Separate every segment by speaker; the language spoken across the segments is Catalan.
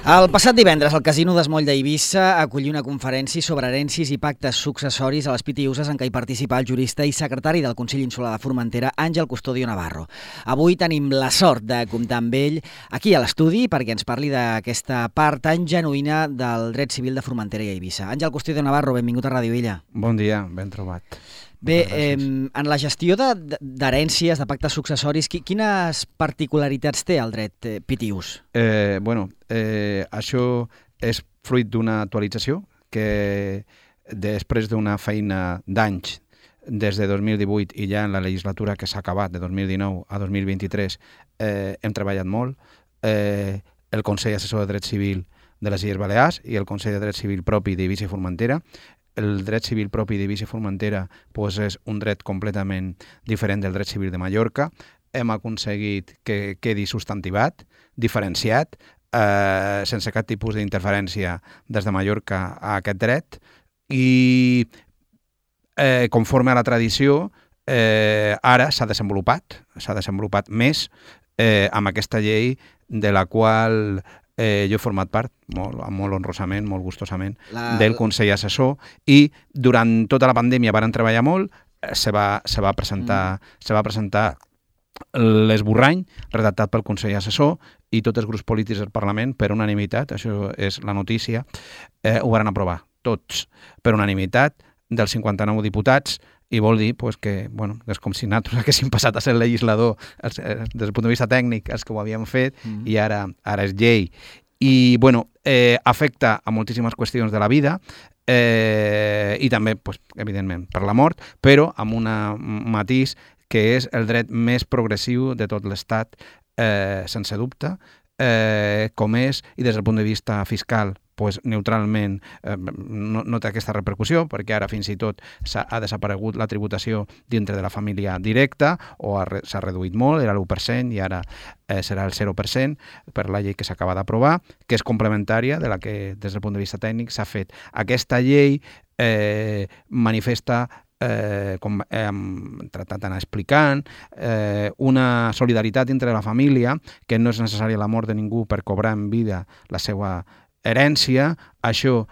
Speaker 1: El passat divendres, el Casino d'Esmoll d'Eivissa acollí una conferència sobre herències i pactes successoris a les Pitiüses en què hi participa el jurista i secretari del Consell Insular de Formentera, Àngel Custodio Navarro. Avui tenim la sort de comptar amb ell aquí a l'estudi perquè ens parli d'aquesta part tan genuïna del dret civil de Formentera i Eivissa. Àngel Custodio Navarro, benvingut a Ràdio Illa.
Speaker 2: Bon dia, ben trobat.
Speaker 1: Bé, en la gestió d'herències, de pactes successoris, quines particularitats té el dret pitiús?
Speaker 2: Això és fruit d'una actualització que després d'una feina d'anys des de 2018 i ja en la legislatura que s'ha acabat de 2019 a 2023 hem treballat molt. El Consell Assessor de Dret Civil de les Illes Balears i el Consell de Dret Civil propi d'Eivissa i Formentera. El dret civil propi d'Eivissa i Formentera és un dret completament diferent del dret civil de Mallorca. Hem aconseguit que quedi substantivat, diferenciat, sense cap tipus d'interferència des de Mallorca a aquest dret i conforme a la tradició ara s'ha desenvolupat més amb aquesta llei de la qual jo he format part, molt honrosament, molt gustosament, del Consell Assessor i durant tota la pandèmia varen treballar molt, se va presentar l'esborrany redactat pel Consell Assessor i tots els grups polítics del Parlament per unanimitat, això és la notícia, ho van aprovar tots per unanimitat dels 59 diputats i vol dir que és com si nosaltres haguéssim passat a ser legislador des del punt de vista tècnic els que ho havíem fet i ara és llei. I afecta a moltíssimes qüestions de la vida i també, evidentment, per la mort, però amb un matís que és el dret més progressiu de tot l'Estat, sense dubte, com és, i des del punt de vista fiscal, neutralment no té aquesta repercussió, perquè ara fins i tot ha desaparegut la tributació dintre de la família directa o s'ha reduït molt, era l'1% i ara serà el 0% per la llei que s'acaba d'aprovar, que és complementària de la que des del punt de vista tècnic s'ha fet. Aquesta llei manifesta, com hem tratat d'anar explicant, una solidaritat entre la família, que no és necessària la mort de ningú per cobrar en vida la seva herència. Això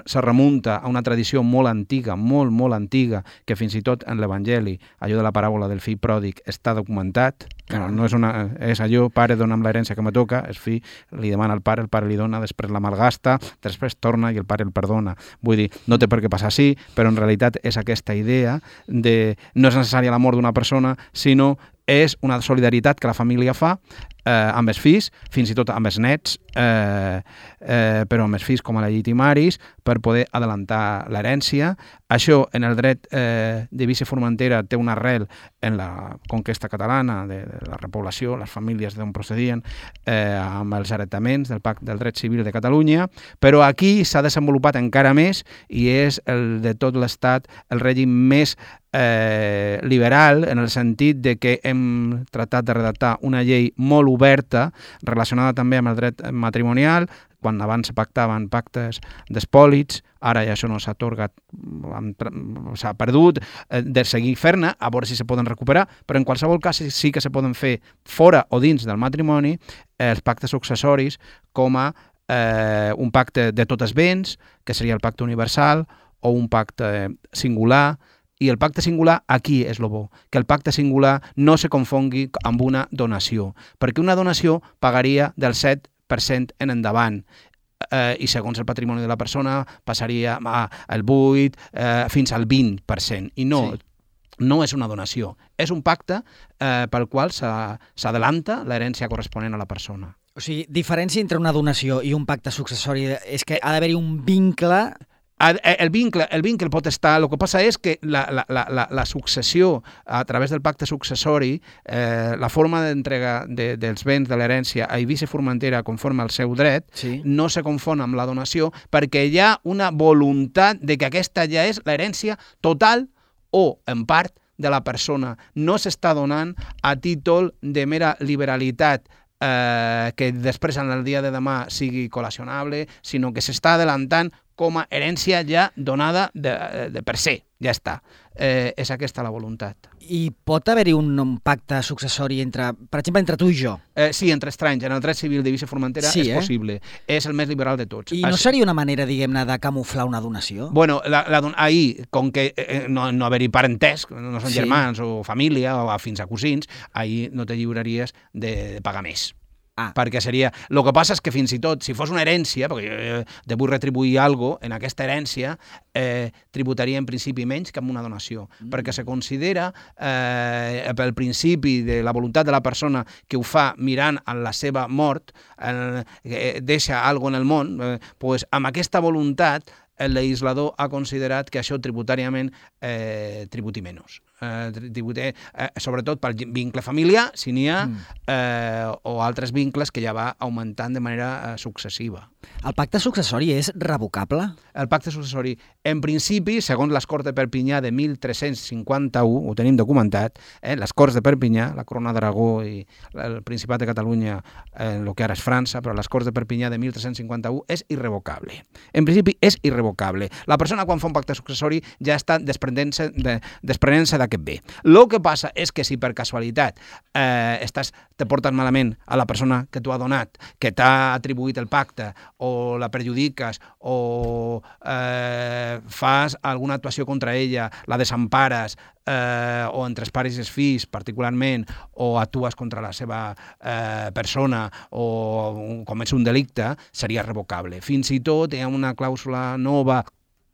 Speaker 2: se remunta a una tradició molt antiga, molt antiga, que fins i tot en l'Evangeli, allò de la paràbola del fill pròdig, està documentat. No és allò, pare, dona'm l'herència que me toca, el fill li demana al pare, el pare li dona, després la malgasta, després torna i el pare el perdona. Vull dir, no té per què passar així, però en realitat és aquesta idea de no és necessària la mort d'una persona, sinó és una solidaritat que la família fa amb els fills, fins i tot amb els nets, però amb els fills com a legitimaris, per poder adelantar l'herència. Això en el dret d'Eivissa i Formentera té una arrel en la conquesta catalana, de la repoblació, les famílies d'on procedien, amb els heretaments del Pacte del Dret Civil de Catalunya, però aquí s'ha desenvolupat encara més i és el de tot l'Estat el règim més liberal, en el sentit de que hem tratat de redactar una llei molt oberta relacionada també amb el dret matrimonial. Quan abans se pactaven pactes d'espòlits, ara ja això no s'ha atorgat, s'ha perdut, de seguir fer-ne, a veure si se poden recuperar, però en qualsevol cas sí que se poden fer fora o dins del matrimoni els pactes successoris com a un pacte de tots els béns, que seria el pacte universal, o un pacte singular. I el pacte singular aquí és el bo, que el pacte singular no se confongui amb una donació, perquè una donació pagaria del 7% en endavant i segons el patrimoni de la persona passaria al 8% fins al 20%. I no és una donació, és un pacte pel qual s'adelanta l'herència corresponent a la persona.
Speaker 1: O sigui, diferència entre una donació i un pacte successori és que ha d'haver-hi un vincle.
Speaker 2: El vincle pot estar, el que passa és que la successió a través del pacte successori, la forma d'entrega dels béns de l'herència a Eivissa i Formentera conforme al seu dret, no se confon amb la donació perquè hi ha una voluntat de que aquesta ja és l'herència total o en part de la persona. No s'està donant a títol de mera liberalitat que després en el dia de demà sigui col·lacionable, sinó que s'està adelantant com a herència ja donada de per se, ja està. És aquesta la voluntat.
Speaker 1: I pot haver-hi un pacte successori per exemple, entre tu i jo?
Speaker 2: Sí, entre estranys. En el dret civil d'Eivissa i Formentera és possible. És el més liberal de tots.
Speaker 1: I no seria una manera, diguem-ne, de camuflar una donació?
Speaker 2: Bueno, ahir, com que no haver-hi parentesc, no són germans o família, o fins a cosins, ahir no te lliuraries de pagar més. Perquè seria... El que passa és que fins i tot, si fos una herència, perquè jo te vull retribuir alguna cosa, en aquesta herència tributaria en principi menys que amb una donació, perquè se considera pel principi de la voluntat de la persona que ho fa mirant en la seva mort, deixa alguna cosa en el món, doncs amb aquesta voluntat el legislador ha considerat que això tributàriament tributi menys. Sobretot pel vincle familiar, si n'hi ha, o altres vincles que ja va augmentant de manera successiva.
Speaker 1: El pacte successori és revocable?
Speaker 2: El pacte successori, en principi, segons les Corts de Perpinyà de 1351, ho tenim documentat, les Corts de Perpinyà, la Corona d'Aragó i el Principat de Catalunya, el que ara és França, però les Corts de Perpinyà de 1351 és irrevocable. En principi és irrevocable. La persona quan fa un pacte successori ja està desprenent-se d'aquest bé. El que passa és que si per casualitat te portes malament a la persona que t'ho ha donat, que t'ha atribuït el pacte, o la perjudiques, o fas alguna actuació contra ella, la desempares, o entre els pares i els fills particularment, o actues contra la seva persona, o comets un delicte, seria revocable. Fins i tot hi ha una clàusula nova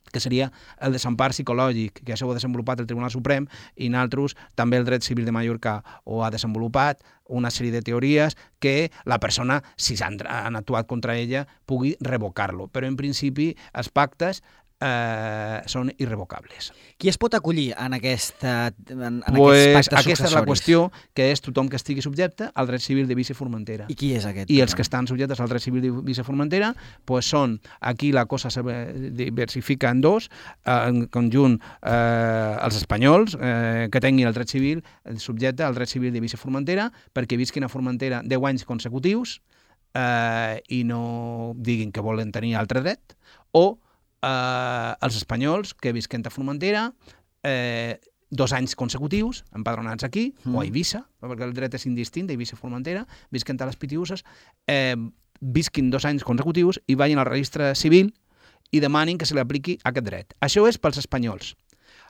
Speaker 2: que seria el desempar psicològic, que això ho ha desenvolupat el Tribunal Suprem, i nosaltres també el dret civil de Mallorca ho ha desenvolupat, una sèrie de teories que la persona, si han actuat contra ella, pugui revocar-lo. Però en principi els pactes són irrevocables.
Speaker 1: Qui es pot acollir en aquests pactes
Speaker 2: successoris? Aquesta és la qüestió, que és tothom que estigui subjecte al dret civil d'Eivissa i Formentera.
Speaker 1: I qui és aquest?
Speaker 2: I els que estan subjectes al dret civil d'Eivissa i Formentera són, aquí la cosa se diversifica en dos, en conjunt els espanyols que tinguin el dret civil subjecte al dret civil d'Eivissa i Formentera, perquè visquin a Formentera 10 anys consecutius i no diguin que volen tenir altre dret, o els espanyols que visquen a Formentera 2 anys consecutius, empadronats aquí, o a Eivissa, perquè el dret és indistint d'Eivissa i Formentera, visquen a les Pitiüses, visquin 2 anys consecutius i vagin al registre civil i demanin que se li apliqui aquest dret. Això és pels espanyols.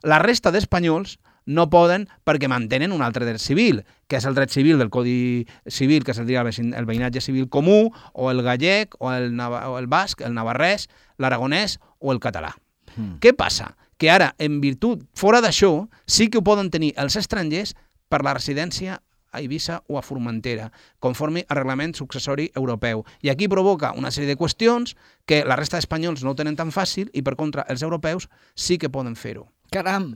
Speaker 2: La resta d'espanyols no poden perquè mantenen un altre dret civil, que és el dret civil del Codi Civil, que seria el veïnatge civil comú, o el gallec, o el basc, el navarrès, l'aragonès o el català. Què passa? Que ara, en virtut, fora d'això, sí que ho poden tenir els estrangers per la residència a Eivissa o a Formentera, conforme al reglament successori europeu. I aquí provoca una sèrie de qüestions que la resta d'espanyols no ho tenen tan fàcil i, per contra, els europeus sí que poden fer-ho.
Speaker 1: Caram!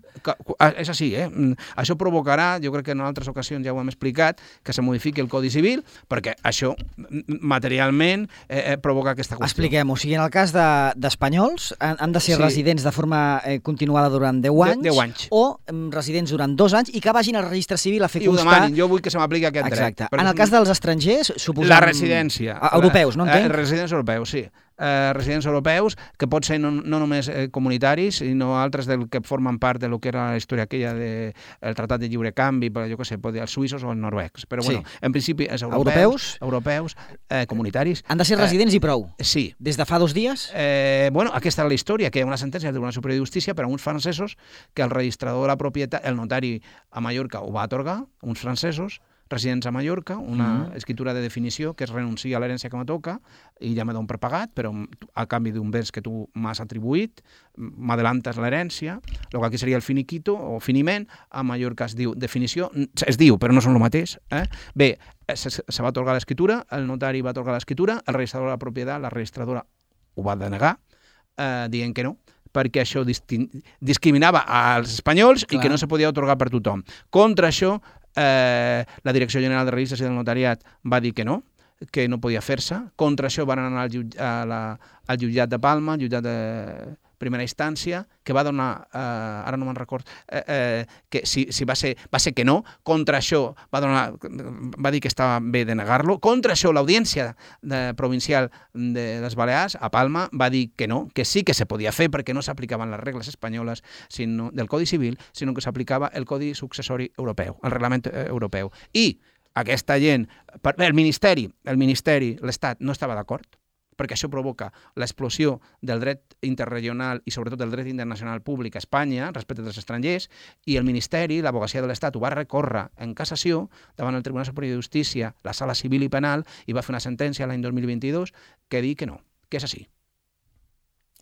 Speaker 2: És així, Això provocarà, jo crec que en altres ocasions ja ho hem explicat, que se modifiqui el Codi Civil, perquè això materialment provoca aquesta qüestió.
Speaker 1: Expliquem-ho. O sigui, en el cas d'espanyols, han de ser residents de forma continuada durant 10 anys,
Speaker 2: 10 anys,
Speaker 1: o residents durant 2 anys i que vagin al registre civil a fer constar...
Speaker 2: I ho demanin, jo vull que se m'apliqui aquest dret.
Speaker 1: Exacte. En el cas dels estrangers, suposem...
Speaker 2: La residència.
Speaker 1: Europeus, no entenc?
Speaker 2: Residents europeus, sí. Residents europeus, que pot ser no només comunitaris, sinó altres del que formen part de lo que era la història aquella del Tractat de Lliure Canvi, però jo què sé, els suïssos o els noruecs. Però bueno, en principi és europeus, comunitaris.
Speaker 1: Han de ser residents i prou?
Speaker 2: Sí.
Speaker 1: Des de fa 2 dies?
Speaker 2: Aquesta és la història, que hi ha una sentència del Tribunal Superior de Justícia per a uns francesos que el registrador de la propietat, el notari a Mallorca ho va atorgar, uns francesos, residents a Mallorca, una escritura de definició que es renuncia a l'herència que me toca i ja me dono per pagat, però a canvi d'un béns que tu m'has atribuït, m'adelantes l'herència, el que aquí seria el finiquito o finiment, a Mallorca es diu definició, es diu, però no són el mateix. Bé, se va atorgar l'escriptura, el notari va atorgar l'escriptura, el registrador de la propietat, la registradora ho va denegar, dient que no, perquè això discriminava als espanyols i que no se podia atorgar per tothom. Contra això, la Direcció General de Registres i del Notariat va dir que no podia fer-se. Contra això van anar al jutjat de Palma, al jutjat primera instància, que va donar, ara no me'n record, que si va ser que no, contra això va dir que estava bé de negar-lo, contra això l'Audiència Provincial de les Balears, a Palma, va dir que no, que sí que se podia fer perquè no s'aplicaven les regles espanyoles del Codi Civil, sinó que s'aplicava el Codi Successori Europeu, el Reglament Europeu. I aquesta gent, el Ministeri, l'Estat, no estava d'acord, perquè això provoca l'explosió del dret interregional i sobretot del dret internacional públic a Espanya respecte dels estrangers, i el Ministeri, l'Advocacia de l'Estat, ho va recórrer en cassació davant el Tribunal Superior de Justícia, la Sala Civil i Penal, i va fer una sentència l'any 2022 que diu que no, que és així.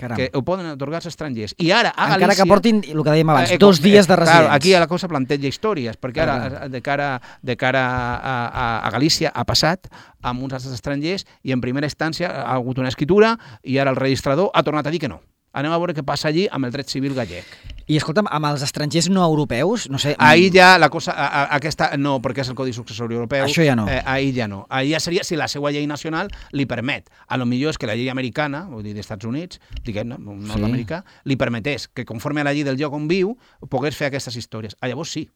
Speaker 1: Caram.
Speaker 2: Que ho poden atorgar els estrangers. I ara a Galícia...
Speaker 1: Encara que portin, el que dèiem abans, 2 dies de residents.
Speaker 2: Clar, aquí la cosa planteja històries, perquè ara, de cara a Galícia, ha passat amb uns altres estrangers i en primera instància ha hagut una escritura i ara el registrador ha tornat a dir que no. Anem a veure què passa allí amb el dret civil gallec.
Speaker 1: I escolta'm, amb els estrangers no europeus, no sé...
Speaker 2: Ahir ja la cosa... aquesta no, perquè és el Codi Successori Europeu.
Speaker 1: Això ja no.
Speaker 2: Ahir ja no. Ahir ja seria si la seva llei nacional li permet. A lo millor és que la llei americana, vull dir, dels Estats Units, diguem-ne, nord-americà, li permetés que conforme a la llei del lloc on viu pogués fer aquestes històries. Llavors sí,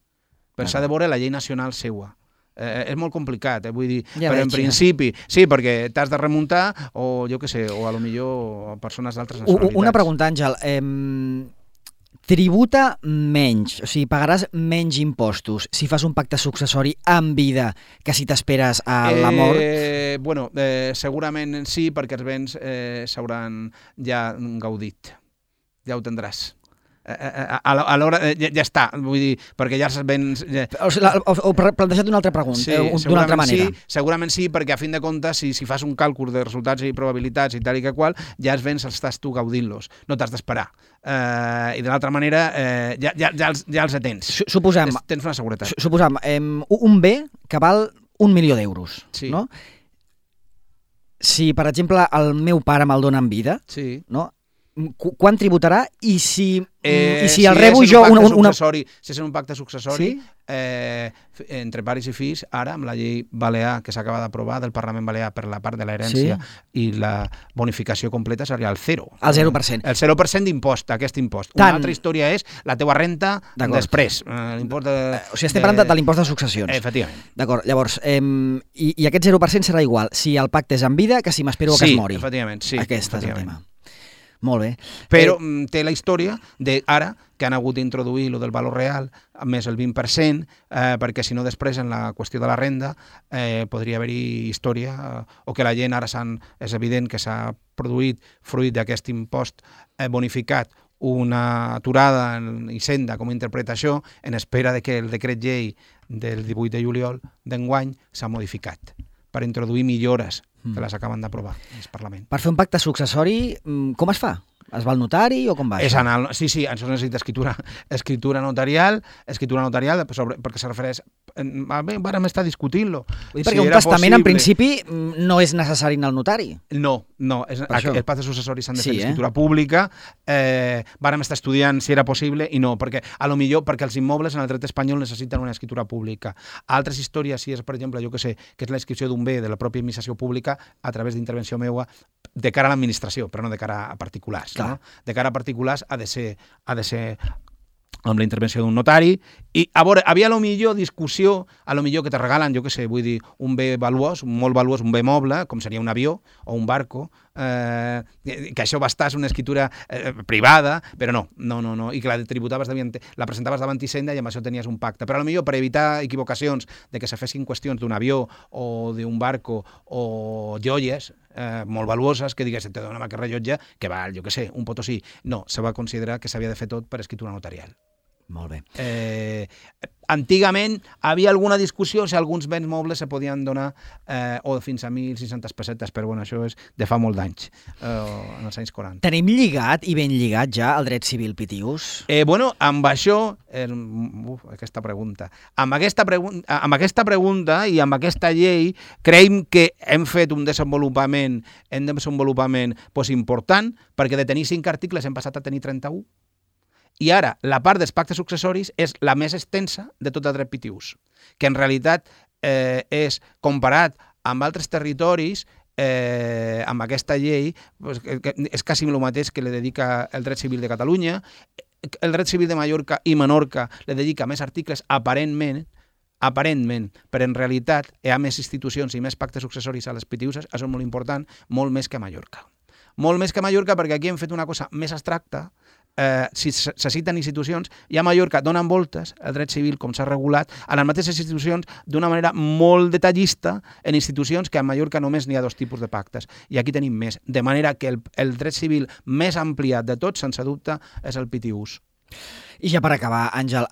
Speaker 2: però s'ha de veure la llei nacional seua. És molt complicat, vull dir, ja però en principi, sí, perquè t'has de remuntar o jo què sé, o a lo millor persones d'altres nacionalitats.
Speaker 1: Una pregunta, Àngel, tributa menys, o sigui, pagaràs menys impostos si fas un pacte successori en vida que si t'esperes a la mort?
Speaker 2: Bueno, segurament sí, perquè els béns s'hauran ja gaudit, ja ho tindràs. A l'hora ja està, vull dir, perquè ja els béns...
Speaker 1: O plantejat d'una altra pregunta, d'una altra manera.
Speaker 2: Sí, segurament sí, perquè a fin de comptes, si fas un càlcul de resultats i probabilitats i tal i que qual, ja els béns estàs tu gaudint-los, no t'has d'esperar. I de l'altra manera, ja els tens.
Speaker 1: Suposem...
Speaker 2: Tens una seguretat.
Speaker 1: Suposem un bé que val 1 milió d'euros, no? Si, per exemple, el meu pare me'l dona en vida, no? Quan tributarà i si el rebo jo...
Speaker 2: Si és un pacte successori, entre pares i fills, ara amb la llei balear que s'acaba d'aprovar del Parlament Balear per la part de l'herència i la bonificació completa seria el 0.
Speaker 1: El 0%.
Speaker 2: El 0% d'impost, aquest impost. Una altra història és la teua renta després.
Speaker 1: O sigui, estem parlant de l'impost de successions.
Speaker 2: Efectivament.
Speaker 1: D'acord, llavors, i aquest 0% serà igual si el pacte és en vida que si m'espero que es mori.
Speaker 2: Sí, efectivament, sí.
Speaker 1: Aquest és el tema. Molt bé.
Speaker 2: Però té la història d'ara que han hagut d'introduir lo del valor real més el 20%, perquè si no després en la qüestió de la renda podria haver-hi història o que la gent ara és evident que s'ha produït fruit d'aquest impost bonificat una aturada en Hisenda com interpreta això en espera de que el decret llei del 18 de juliol d'enguany s'ha modificat per introduir millores que les acaben d'aprovar al Parlament.
Speaker 1: Per fer un pacte successori, com es fa? Es va al notari o com va això?
Speaker 2: Sí, això necessita escritura notarial perquè se refereix... Vàrem estar discutint-lo.
Speaker 1: Perquè un testament, en principi, no és necessari anar al notari.
Speaker 2: No. Els pactes successoris s'han de fer escritura pública. Vàrem estar estudiant si era possible i no, perquè els immobles en el dret espanyol necessiten una escritura pública. Altres històries, si és, per exemple, jo que sé, que és la inscripció d'un bé de la pròpia administració pública a través d'intervenció meua de cara a l'administració, però no de cara a particulars. No? De cara a particulars ha de ser amb la intervenció d'un notari, i a veure, havia a lo millor discussió, a lo millor que te regalen, jo què sé, vull dir, un bé valuós, molt valuós, un bé moble, com seria un avió o un barco, que això bastàs una escritura privada, però no, i que la tributaves, la presentaves davant Hisenda i amb això tenies un pacte. Però a lo millor per evitar equivocacions de que se fessin qüestions d'un avió o d'un barco o joies molt valuoses, que digués, te donem aquest rellotge que val, jo què sé, un potosí. No, se va considerar que s'havia de fer tot per escritura notarial.
Speaker 1: Molt bé.
Speaker 2: Antigament havia alguna discussió si alguns béns mobles se podien donar o fins a 1.600 pessetes, però bueno, això és de fa molt d'anys, en els anys 40.
Speaker 1: Tenim lligat i ben lligat ja el dret civil, Pitius?
Speaker 2: Bueno, amb això, aquesta pregunta. Amb aquesta pregunta i amb aquesta llei creiem que hem fet un desenvolupament important, perquè de tenir 5 articles hem passat a tenir 31. I ara, la part dels pactes successoris és la més extensa de tot el dret pitiús, que en realitat és, comparat amb altres territoris, amb aquesta llei és quasi el mateix que li dedica el dret civil de Catalunya. El dret civil de Mallorca i Menorca li dedica més articles aparentment, però en realitat hi ha més institucions i més pactes successoris a les PTUs, això és molt important, molt més que a Mallorca. Molt més que a Mallorca perquè aquí hem fet una cosa més abstracta. Si se citen institucions, i a Mallorca donen voltes el dret civil com s'ha regulat a les mateixes institucions d'una manera molt detallista en institucions que a Mallorca només n'hi ha 2 tipus de pactes i aquí tenim més, de manera que el dret civil més ampliat de tots, sense dubte, és el PTUs.
Speaker 1: I ja per acabar, Àngel,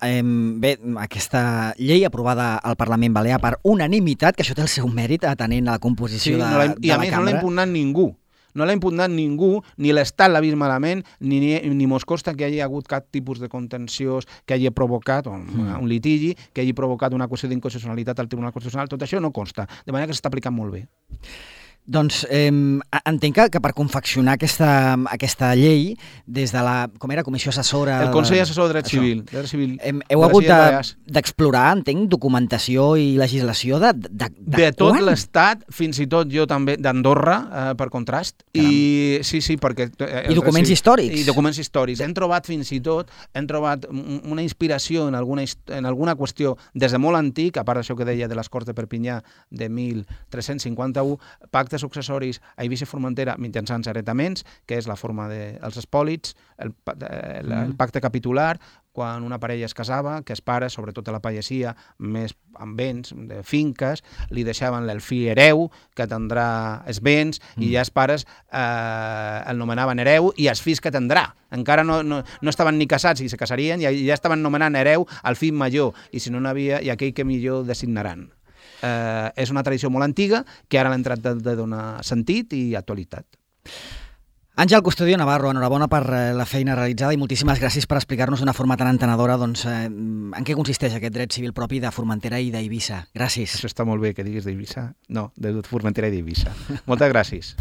Speaker 1: bé, aquesta llei aprovada al Parlament Balear per unanimitat, que això té el seu mèrit atenent a la composició de la cambra.
Speaker 2: I a més no l'ha impugnat ningú. No l'ha impugnat ningú, ni l'Estat l'ha vist malament, ni mos consta que hi hagi hagut cap tipus de contenciós que hagi provocat, un litigi, que hagi provocat una qüestió d'inconstitucionalitat al Tribunal Constitucional. Tot això no consta, de manera que s'està aplicant molt bé.
Speaker 1: Doncs entenc que per confeccionar aquesta llei, des de la, com era, Comissió Assessora...
Speaker 2: El Consell Assessor de Dret Civil.
Speaker 1: Heu hagut d'explorar, entenc, documentació i legislació
Speaker 2: de tot l'Estat, fins i tot jo també d'Andorra, per contrast. I sí, perquè...
Speaker 1: I documents històrics.
Speaker 2: I documents històrics. Hem trobat fins i tot una inspiració en alguna qüestió des de molt antic, a part d'això que deia de les Corts de Perpinyà de 1351, pactes successoris a Eivissa i Formentera mitjançant heretaments, que és la forma dels espòlits, el pacte capitular, quan una parella es casava, que els pares, sobretot a la pagesia, més amb béns, de finques, li deixaven el fill hereu, que tindrà els béns, i ja els pares el nomenaven hereu, i els fills que tindrà. Encara no estaven ni casats i se casarien, i ja estaven nomenant hereu al fill major, i si no n'havia, i aquell que millor designaran. És una tradició molt antiga que ara l'han tractat de donar sentit i actualitat.
Speaker 1: Àngel Custodio Navarro, enhorabona per la feina realitzada i moltíssimes gràcies per explicar-nos d'una forma tan entenedora en què consisteix aquest dret civil propi de Formentera i d'Eivissa. Gràcies.
Speaker 2: Això està molt bé que diguis d'Eivissa. No, de Formentera i d'Eivissa. Moltes gràcies.